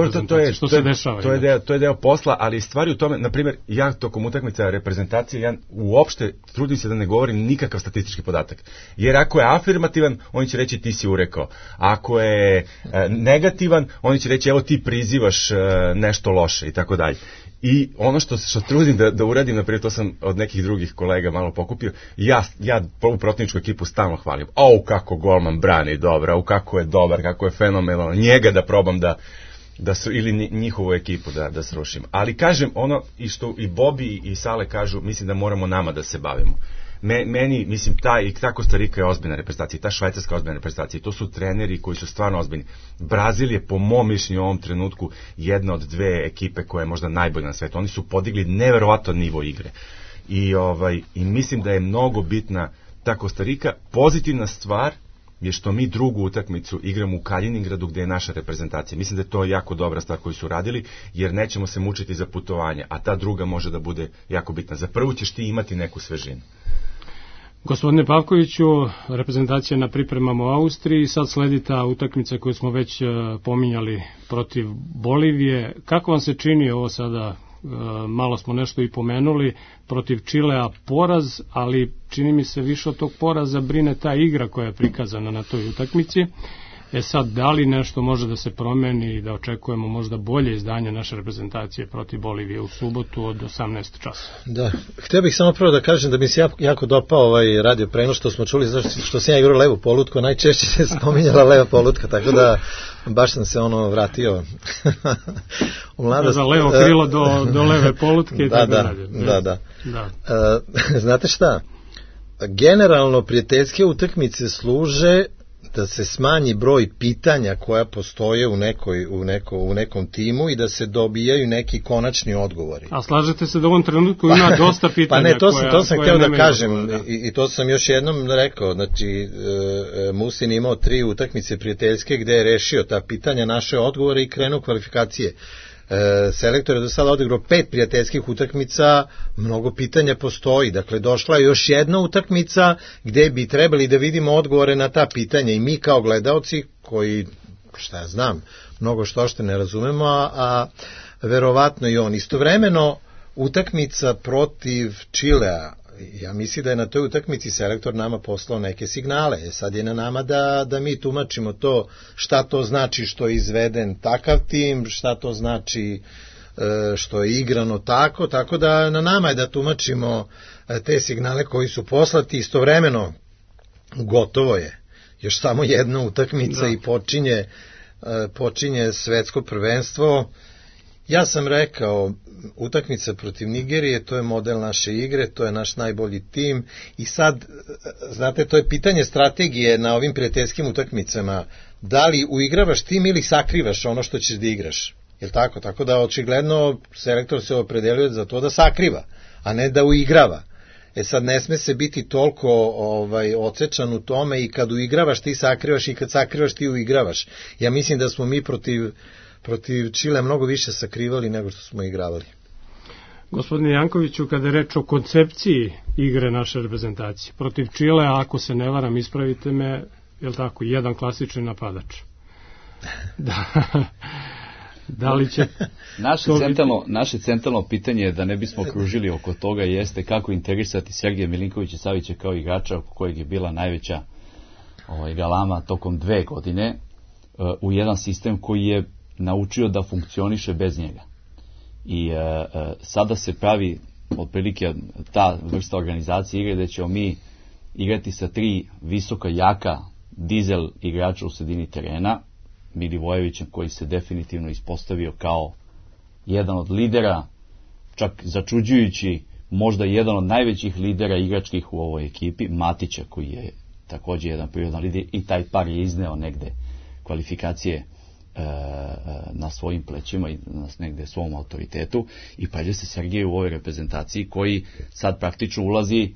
Što se dešava. To je deo posla, ali stvari u tome, na primjer, ja tokom utakmica reprezentacije, ja uopšte trudim se da ne govorim nikakav statistički podatak. Jer ako je afirmativan, oni će reći ti si urekao. Ako je negativan, oni će reći evo ti prizivaš nešto loše i tako dalje. I ono što trudim da uradim, naprijed, to sam od nekih drugih kolega malo pokupio, ja ovu protivničku ekipu stalno hvalim. Kako golman brani dobro, kako je dobar, kako je fenomenalno, njega da probam ili njihovu ekipu da srušim. Ali kažem, ono i što i Bobi i Sale kažu, mislim da moramo nama da se bavimo. Meni, mislim, ta Kostarika je ozbiljna reprezentacija, ta Švajcarska je ozbiljna reprezentacija, to su treneri koji su stvarno ozbiljni. Brazil je, po mom mišljenju, u ovom trenutku jedna od 2 ekipe koja je možda najbolja na svetu. Oni su podigli neverovatan nivo igre. I mislim da je mnogo bitna ta Kostarika. Pozitivna stvar, je što mi drugu utakmicu igramo u Kaliningradu gde je naša reprezentacija. Mislim da je to jako dobra stvar koju su radili, jer nećemo se mučiti za putovanje, a ta druga može da bude jako bitna. Za prvu ćeš ti imati neku svežinu. Gospodine Pavkoviću, reprezentacija na pripremama u Austriji, sad sledi ta utakmica koju smo već pominjali protiv Bolivije. Kako vam se čini ovo sada, malo smo nešto i pomenuli, protiv Čilea poraz, ali čini mi se više od tog poraza brine ta igra koja je prikazana na toj utakmici. Sad, da li nešto može da se promeni i da očekujemo možda bolje izdanje naše reprezentacije protiv Bolivije u subotu od 18 časa? Da, htio bih samo prvo da kažem da mi se jako dopao ovaj radio prenos što smo čuli, što sam ja igrao levu polutku, najčešće se spominjala leva polutka, tako da baš sam se vratio u mladost. Za levo krilo do leve polutke i tako dalje. Da. Znate šta? Generalno prijateljske utakmice služe da se smanji broj pitanja koja postoje u nekom timu i da se dobijaju neki konačni odgovori. A slažete se da u ovom trenutku ima dosta pitanja? Pa ne, to sam htio da kažem i to sam još jednom rekao. Znači, Musin imao 3 utakmice prijateljske gde je rešio ta pitanja, naše odgovore i krenuo kvalifikacije. Selektor je do sada odigrao 5 prijateljskih utakmica, mnogo pitanja postoji, dakle došla je još jedna utakmica gde bi trebali da vidimo odgovore na ta pitanja i mi kao gledaoci koji, šta ja znam, mnogo što ne razumemo, a verovatno i on. Istovremeno utakmica protiv Čilea, ja mislim da je na toj utakmici selektor nama poslao neke signale. Sad je na nama da mi tumačimo to, šta to znači što je izveden takav tim, šta to znači što je igrano tako da na nama je da tumačimo te signale koji su poslati. Istovremeno gotovo je još samo jedna utakmica i počinje svetsko prvenstvo. Ja sam rekao, utakmica protiv Nigerije, to je model naše igre, to je naš najbolji tim i sad, znate, to je pitanje strategije na ovim prijateljskim utakmicama, da li uigravaš tim ili sakrivaš ono što ćeš da igraš, je li tako? Tako da očigledno selektor se opredelio za to da sakriva, a ne da uigrava. Sad ne sme se biti toliko odsečan u tome i kad uigravaš ti sakrivaš i kad sakrivaš ti uigravaš. Ja mislim da smo mi protiv Čile mnogo više sakrivali nego što smo igravali. Gospodine Jankoviću, kada je reč o koncepciji igre naše reprezentacije, protiv Čile, ako se ne varam, ispravite me, je li tako, jedan klasični napadač? Da li će... Naše centralno pitanje, da ne bismo kružili oko toga, jeste kako integrisati Sergeja Milinkovića Savića kao igrača oko kojeg je bila najveća galama tokom 2 godine u jedan sistem koji je naučio da funkcioniše bez njega. I sada se pravi otprilike ta vrsta organizacije igre gde ćemo mi igrati sa 3 visoka, jaka dizel igrača u sredini terena, Milivojevićem koji se definitivno ispostavio kao jedan od lidera, čak začuđujući možda jedan od najvećih lidera igračkih u ovoj ekipi, Matića koji je također jedan prirodan lider i taj par je izneo negde kvalifikacije na svojim plećima i na negde svom autoritetu i pađe se Sergej u ovoj reprezentaciji koji sad praktično ulazi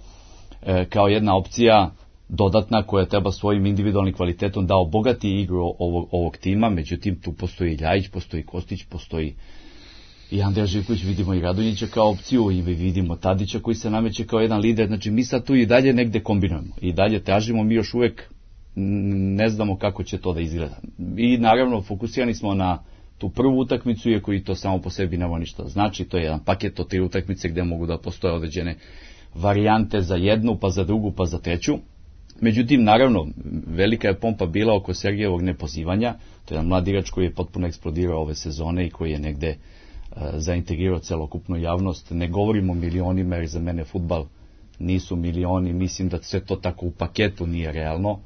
kao jedna opcija dodatna koja treba svojim individualnim kvalitetom da obogati igru ovog tima, međutim tu postoji Ljajić, postoji Kostić, postoji i Andrija Živković, vidimo i Radonjića kao opciju i vidimo Tadića koji se nameće kao jedan lider, znači mi sad tu i dalje negde kombinujemo i dalje tražimo, mi još uvek ne znamo kako će to da izgleda. I naravno fokusirani smo na tu prvu utakmicu, iako i to samo po sebi nema ništa znači, to je jedan paket od 3 utakmice gde mogu da postoje određene varijante za jednu, pa za drugu, pa za treću. Međutim, naravno, velika je pompa bila oko Sergejevog nepozivanja, to je jedan mlad igrač koji je potpuno eksplodirao ove sezone i koji je negde zaintegrirao celokupnu javnost. Ne govorimo o milionima, jer za mene fudbal nisu milioni, mislim da sve to tako u paketu nije realno.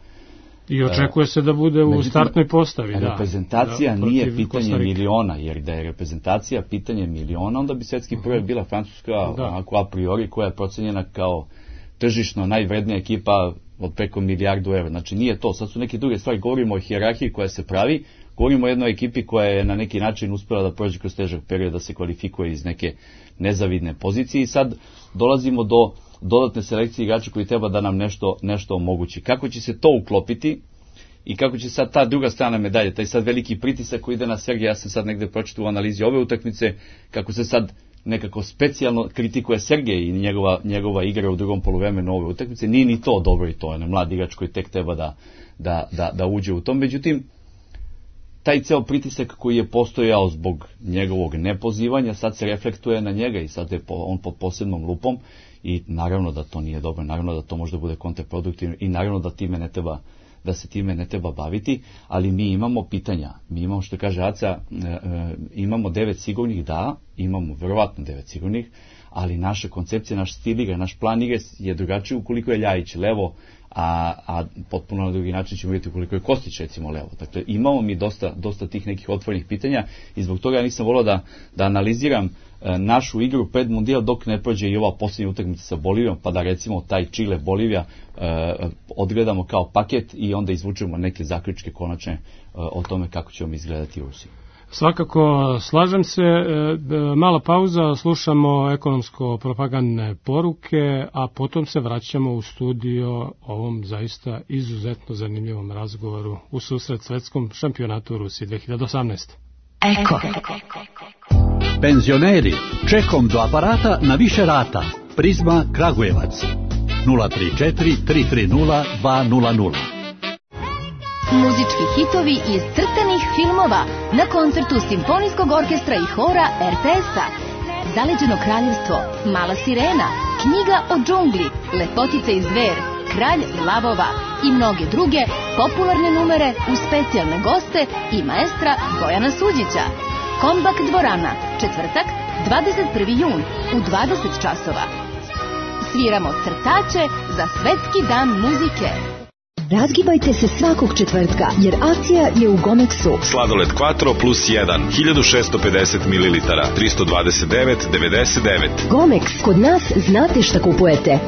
I očekuje se da bude u startnoj postavi. Reprezentacija nije pitanje miliona, jer da je reprezentacija pitanje miliona, onda bi svetski prvak bila Francuska, onako a priori, koja je procenjena kao tržišno najvrednija ekipa od preko €1 milijardu. Znači nije to, sad su neke druge stvari, govorimo o hijerarhiji koja se pravi, govorimo o jednoj ekipi koja je na neki način uspela da prođe kroz težak period, da se kvalifikuje iz neke nezavidne pozicije i sad dolazimo do dodatne selekcije igrača koji treba da nam nešto omogući. Kako će se to uklopiti? i kako će sad ta druga strana medalje, taj sad veliki pritisak koji ide na Sergeja, ja sam sad negde pročitao u analizi ove utakmice, kako se sad nekako specijalno kritikuje Sergej i njegova igra u drugom poluvremenu ove utakmice, nije ni to dobro i to je mlad igrač koji tek treba da uđe u tom. Međutim, taj ceo pritisak koji je postojao zbog njegovog nepozivanja, sad se reflektuje na njega i sad je on pod posebnom lupom i naravno da to nije dobro, naravno da to može da bude kontraproduktivno i naravno da se time ne treba baviti, ali mi imamo pitanja, mi imamo, što kaže Aca, imamo 9 sigurnih, da, imamo verovatno 9 sigurnih, ali naša koncepcija, naš stil igre, naš plan igre je drugačiji ukoliko je Ljajić levo, a potpuno na drugi način ćemo vidjeti ukoliko je Kostić recimo levo. Dakle, imamo mi dosta tih nekih otvorenih pitanja i zbog toga ja nisam volao da analiziram našu igru pred Mundijal dok ne prođe i ova posljednja utakmica sa Bolivijom, pa da recimo taj Čile-Bolivija odgledamo kao paket i onda izvučemo neke zaključke konačne o tome kako ćemo izgledati u Rusiji. Svakako, slažem se, mala pauza, slušamo ekonomsko-propagandne poruke, a potom se vraćamo u studio ovom zaista izuzetno zanimljivom razgovoru u susret svetskom šampionatu u Rusiji 2018. Eko. Penzioneri, čekom do aparata na više rata. Prizma Kragujevac 034 330 200. Muzički hitovi iz crtanih filmova na koncertu Simfonijskog orkestra i hora RTS-a. Zaleđeno kraljevstvo, Mala sirena, Knjiga o džungli, Lepotica i zver, Kralj lavova i mnoge druge popularne numere uz specijalne goste i maestra Bojana Suđića. Kombak dvorana, četvrtak, 21. jun u 20 časova. Sviramo crtače za Svetski dan muzike. Razgibajte se svakog četvrtka, jer akcija je u Gomexu. Sladoled Quattro plus 1, 1650 ml, 329,99. Gomex, kod nas znate šta kupujete.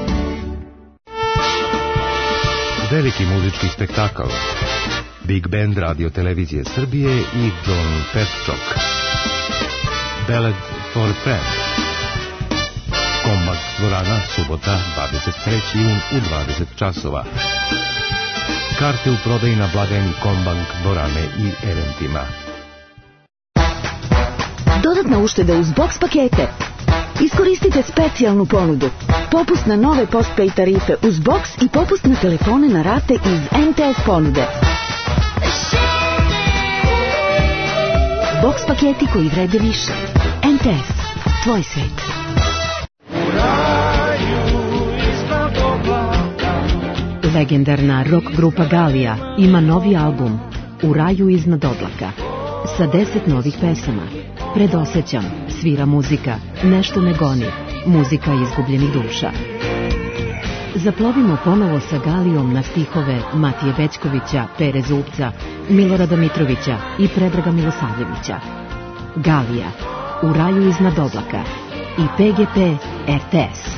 Veliki muzički spektakl. Big Band Radio Televizije Srbije i John Petchok. Ballad for Friend. Kombak dvorana, subota, 23. jun u 20 časova. Karte u prodaji na blagajni Kombank dvorane i eventima. Dodatna ušteda uz box pakete. Iskoristite specijalnu ponudu. Popust na nove postpay tarife uz box i popust na telefone na rate iz MTS ponude. Box paketi koji vrede više. MTS. Tvoj svet. Legendarna rock grupa Galija ima novi album U raju iznad oblaka sa 10 novih pesama. Predosećam, svira muzika, nešto me goni, muzika izgubljenih duša. Zaplovimo ponovo sa Galijom na stihove Matije Bećkovića, Pere Zupca, Milorada Mitrovića i Predraga Milosavljevića. Galija, U raju iznad oblaka i PGP RTS.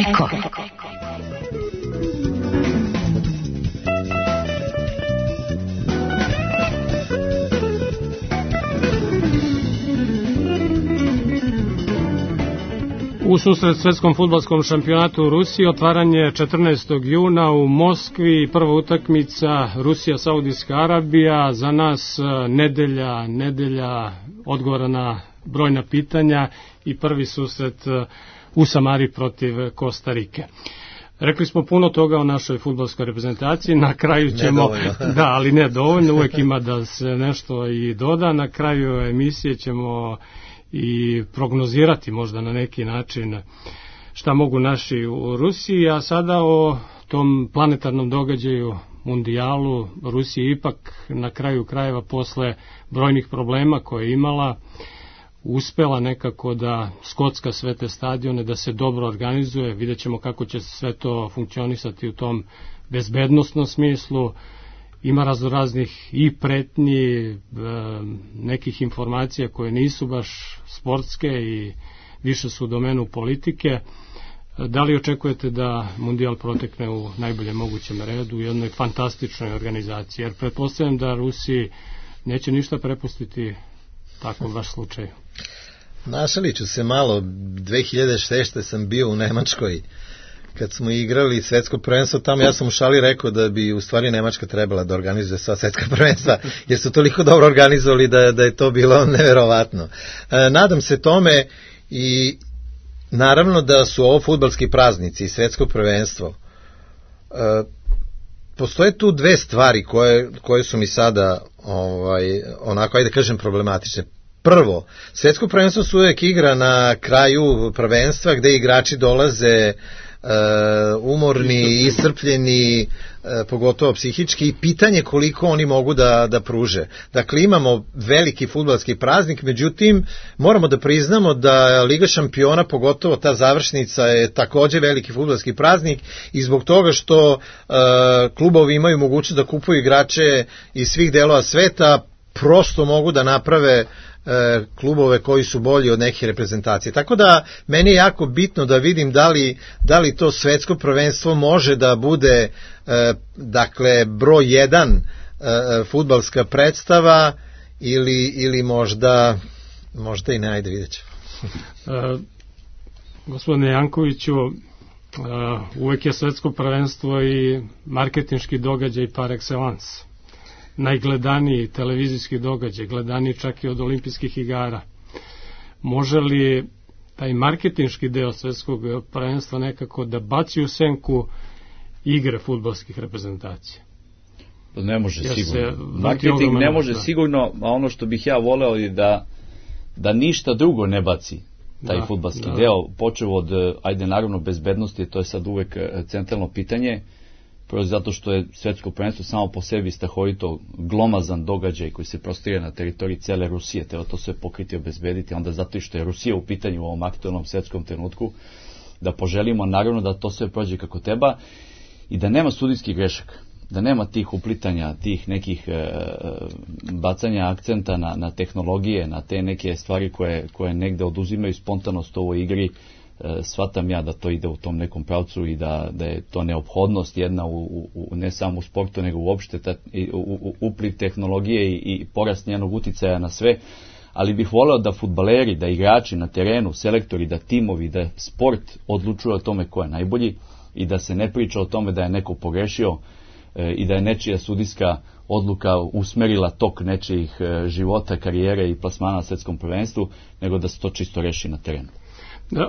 Eko. U susret svetskom fudbalskom šampionatu u Rusiji otvaranje 14. juna u Moskvi, prva utakmica Rusija-Saudijska Arabija, za nas nedelja odgovora na brojna pitanja i prvi susret u Samari protiv Kostarike. Rekli smo puno toga o našoj fudbalskoj reprezentaciji, na kraju ćemo, da, ali ne dovoljno, uvek ima da se nešto i doda, na kraju emisije ćemo i prognozirati možda na neki način šta mogu naši u Rusiji, a sada o tom planetarnom događaju mundijalu. Rusija ipak na kraju krajeva posle brojnih problema koje je imala uspela nekako da skocka sve te stadione, da se dobro organizuje. Vidjet ćemo kako će sve to funkcionisati u tom bezbednostnom smislu. Ima raznih i pretnji, nekih informacija koje nisu baš sportske i više su u domenu politike. Da li očekujete da Mundijal protekne u najboljem mogućem redu, u jednoj fantastičnoj organizaciji? Jer pretpostavljam da Rusiji neće ništa prepustiti tako baš slučaju. Našalit ću se malo, 2006. sam bio u Nemačkoj kad smo igrali svetsko prvenstvo tamo, ja sam u šali rekao da bi u stvari Nemačka trebala da organizuje sva svetska prvenstva, jer su toliko dobro organizovali da je to bilo neverovatno. Nadam se tome i naravno da su ovo fudbalski praznici i svetsko prvenstvo. Postoje tu dve stvari koje su mi sada onako, ajde kažem, problematične. Prvo, svetsko prvenstvo su uvek igra na kraju prvenstva gde igrači dolaze umorni, iscrpljeni, pogotovo psihički, i pitanje koliko oni mogu da pruže. Dakle, imamo veliki fudbalski praznik, međutim, moramo da priznamo da Liga šampiona, pogotovo ta završnica, je takođe veliki fudbalski praznik i zbog toga što klubovi imaju mogućnost da kupuju igrače iz svih delova sveta, prosto mogu da naprave klubove koji su bolji od nekih reprezentacije. Tako da meni je jako bitno da vidim da li to svetsko prvenstvo može da bude dakle broj 1 fudbalska predstava ili možda i ne, ajde vidjet ćemo. Gospodine Jankoviću, uvek je svetsko prvenstvo i marketinški događaj par excellence. Najgledaniji televizijski događaj, gledaniji čak i od olimpijskih igara. Može li taj marketinški deo svetskog prvenstva nekako da baci u senku igre fudbalskih reprezentacija? Ne može sigurno. Marketing ne može sigurno, a ono što bih ja voleo je da ništa drugo ne baci taj fudbalski deo, počeo od, ajde naravno, bezbednosti, to je sad uvek centralno pitanje, prvo zato što je svetsko prvenstvo samo po sebi strahovito glomazan događaj koji se prostire na teritoriji cele Rusije, treba to sve pokriti i obezbediti, onda zato što je Rusija u pitanju u ovom aktualnom svetskom trenutku, da poželimo naravno da to sve prođe kako treba i da nema sudijskih grešaka, da nema tih uplitanja, tih nekih bacanja akcenta na tehnologije, na te neke stvari koje negde oduzimaju spontanost u ovoj igri. Shvatam ja da to ide u tom nekom pravcu i da je to neophodnost jedna ne samo u sportu nego uopšte upliv tehnologije i porast njenog uticaja na sve, ali bih voleo da fudbaleri, da igrači na terenu, selektori, da timovi, da sport odlučuje o tome ko je najbolji i da se ne priča o tome da je neko pogrešio i da je nečija sudijska odluka usmerila tok nečijih života, karijere i plasmana na svetskom prvenstvu, nego da se to čisto reši na terenu.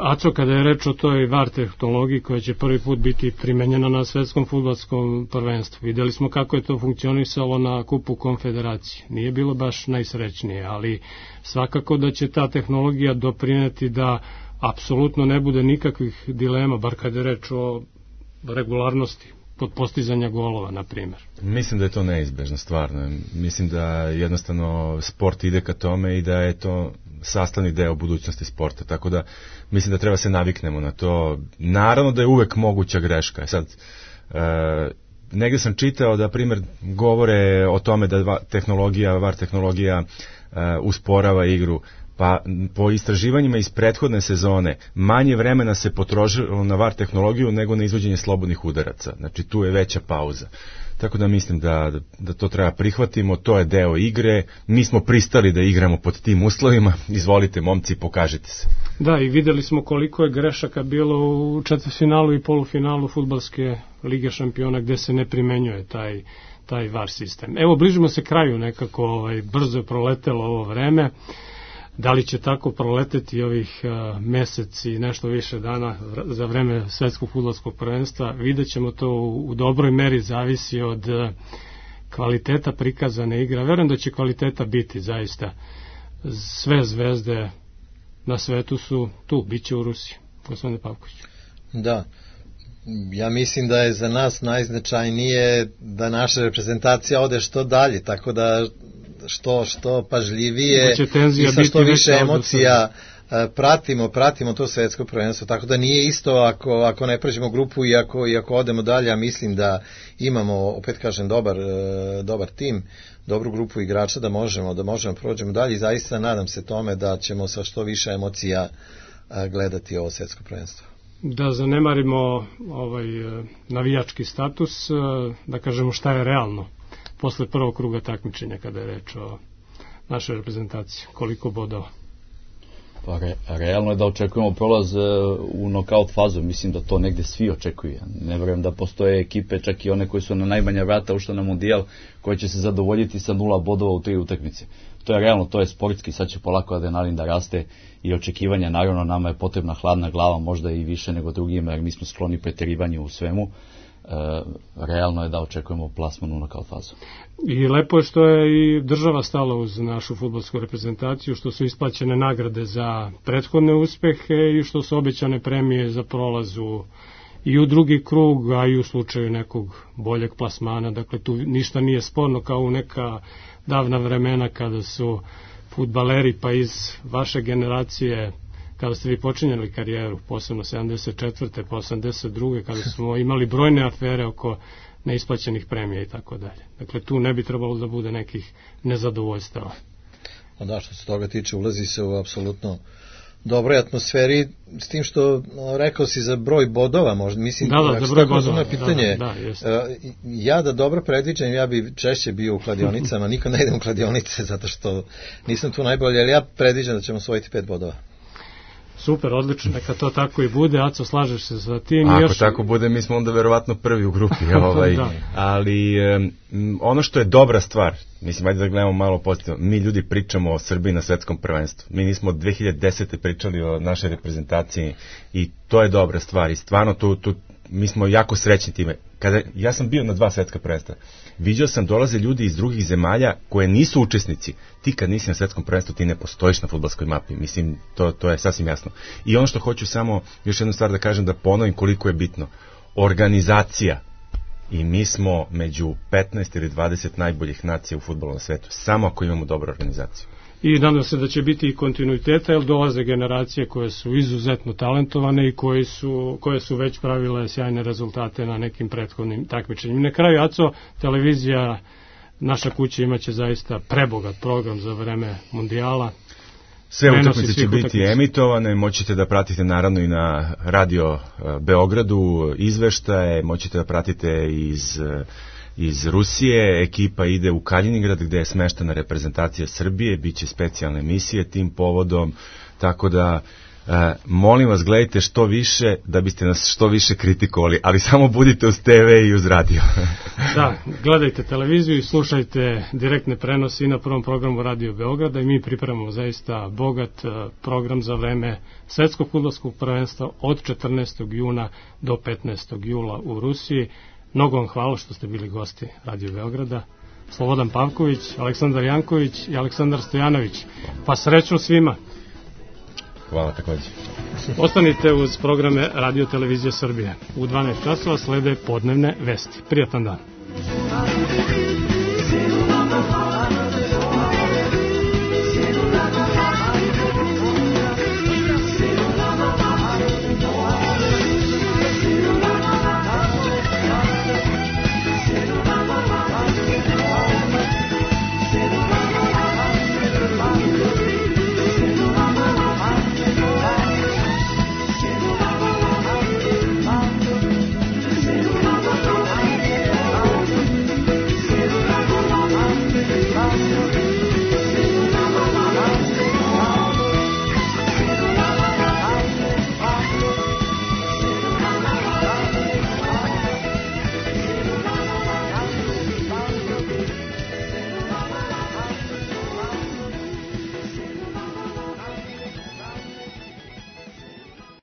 Aco, kada je reč o toj VAR tehnologiji koja će prvi put biti primenjena na svetskom fudbalskom prvenstvu, videli smo kako je to funkcionisalo na kupu konfederacije. Nije bilo baš najsrećnije, ali svakako da će ta tehnologija doprineti da apsolutno ne bude nikakvih dilema, bar kada je reč o regularnosti kod postizanja golova, na primjer. Mislim da je to neizbežno, stvarno. Mislim da jednostavno sport ide ka tome i da je to sastavni deo budućnosti sporta, tako da mislim da treba se naviknemo na to. Naravno da je uvek moguća greška. Sad, negde sam čitao da, primjer, govore o tome da VAR tehnologija usporava igru. Pa po istraživanjima iz prethodne sezone manje vremena se potrošilo na VAR tehnologiju nego na izvođenje slobodnih udaraca. Znači tu je veća pauza. Tako da mislim da to treba prihvatimo, to je deo igre, mi smo pristali da igramo pod tim uslovima, izvolite momci, pokažite se. Da, i videli smo koliko je grešaka bilo u četvrtfinalu i polufinalu fudbalske Lige šampiona gde se ne primenjuje taj VAR sistem. Evo, bližimo se kraju nekako, brzo je proletelo ovo vreme. Da li će tako proleteti ovih mesec i nešto više dana za vreme svetskog fudbalskog prvenstva, vidjet ćemo to u dobroj meri, zavisi od kvaliteta prikazane igre. Verujem da će kvaliteta biti zaista. Sve zvezde na svetu su tu, bit će u Rusiji. Gospodine Pavković. Da, ja mislim da je za nas najznačajnije da naša reprezentacija ode što dalje, tako da što pažljivije i sa što više emocija pratimo to svetsko prvenstvo, tako da nije isto ako ne pređemo grupu i ako odemo dalje, a mislim da imamo, opet kažem, dobar tim, dobru grupu igrača da možemo prođemo dalje i zaista nadam se tome da ćemo sa što više emocija gledati ovo svetsko prvenstvo. Da zanemarimo navijački status, da kažemo šta je realno posle prvog kruga takmičenja kada je reč o našoj reprezentaciji, koliko bodova? Pa realno je da očekujemo prolaz u nokaut fazu, mislim da to negde svi očekuju. Ne verujem da postoje ekipe, čak i one koje su na najmanja vrata ušle na Mundijal, koje će se zadovoljiti sa 0 bodova u 3 utakmice. To je realno, to je sportski, sad će polako adrenalin da raste i očekivanja, naravno nama je potrebna hladna glava, možda i više nego drugima, jer mi smo skloni preterivanju u svemu. Realno je da očekujemo plasman u nokaut fazu. I lepo je što je i država stala uz našu fudbalsku reprezentaciju, što su isplaćene nagrade za prethodne uspehe i što su obećane premije za prolazu i u drugi krug, a i u slučaju nekog boljeg plasmana. Dakle, tu ništa nije sporno kao u neka davna vremena kada su fudbaleri pa iz vaše generacije, kada ste vi počinjali karijeru, posebno 74. pa 82. kada smo imali brojne afere oko neisplaćenih premija i tako dalje. Dakle, tu ne bi trebalo da bude nekih nezadovoljstava. Da, što se toga tiče, ulazi se u apsolutno dobroj atmosferi, s tim što rekao si za broj bodova, možda, mislim, da, za broj bodova. Pitanje, ja da dobro predviđam, ja bi češće bio u kladionicama, nikad ne idem u kladionice, zato što nisam tu najbolji, ali ja predviđam da ćemo osvojiti 5 bodova. Super, odlično, neka to tako i bude. Aco, slažeš se sa tim? Ako tako bude, mi smo onda verovatno prvi u grupi. Ali ono što je dobra stvar, mislim, ajde da gledamo malo pozitivno, mi ljudi pričamo o Srbiji na svetskom prvenstvu. Mi nismo od 2010. pričali o našoj reprezentaciji i to je dobra stvar i stvarno mi smo jako srećni time. Ja sam bio na 2 svetska prvenstva. Viđao sam, dolaze ljudi iz drugih zemalja koje nisu učesnici. Ti kad nisi na svetskom prvenstvu, ti ne postojiš na fudbalskoj mapi. Mislim, to je sasvim jasno. I ono što hoću samo još jednu stvar da kažem, da ponovim koliko je bitno. Organizacija. I mi smo među 15 ili 20 najboljih nacija u fudbalu na svetu. Samo ako imamo dobru organizaciju. I nadam se da će biti i kontinuiteta, jer dolaze generacije koje su izuzetno talentovane i koje su već pravile sjajne rezultate na nekim prethodnim takmičenjima. Na kraju, Aco, televizija, naša kuća imaće zaista prebogat program za vreme Mundijala. Sve utakmice će biti emitovane, moćete da pratite naravno i na Radio Beogradu izveštaje, moćete da pratite iz Rusije, ekipa ide u Kaliningrad gde je smeštena reprezentacija Srbije, bit će specijalne emisije tim povodom, tako da molim vas, gledajte što više da biste nas što više kritikovali, ali samo budite uz TV i uz radio. Da, gledajte televiziju i slušajte direktne prenose i na prvom programu Radio Beograda i mi pripremamo zaista bogat program za vreme svetskog fudbalskog prvenstva od 14. juna do 15. jula u Rusiji. Mnogo vam hvala što ste bili gosti Radio Beograda. Slobodan Pavković, Aleksandar Janković i Aleksandar Stojanović. Pa srećno svima. Hvala takođe. Ostanite uz programe Radio Televizije Srbije. U 12 časova slede podnevne vesti. Prijatan dan.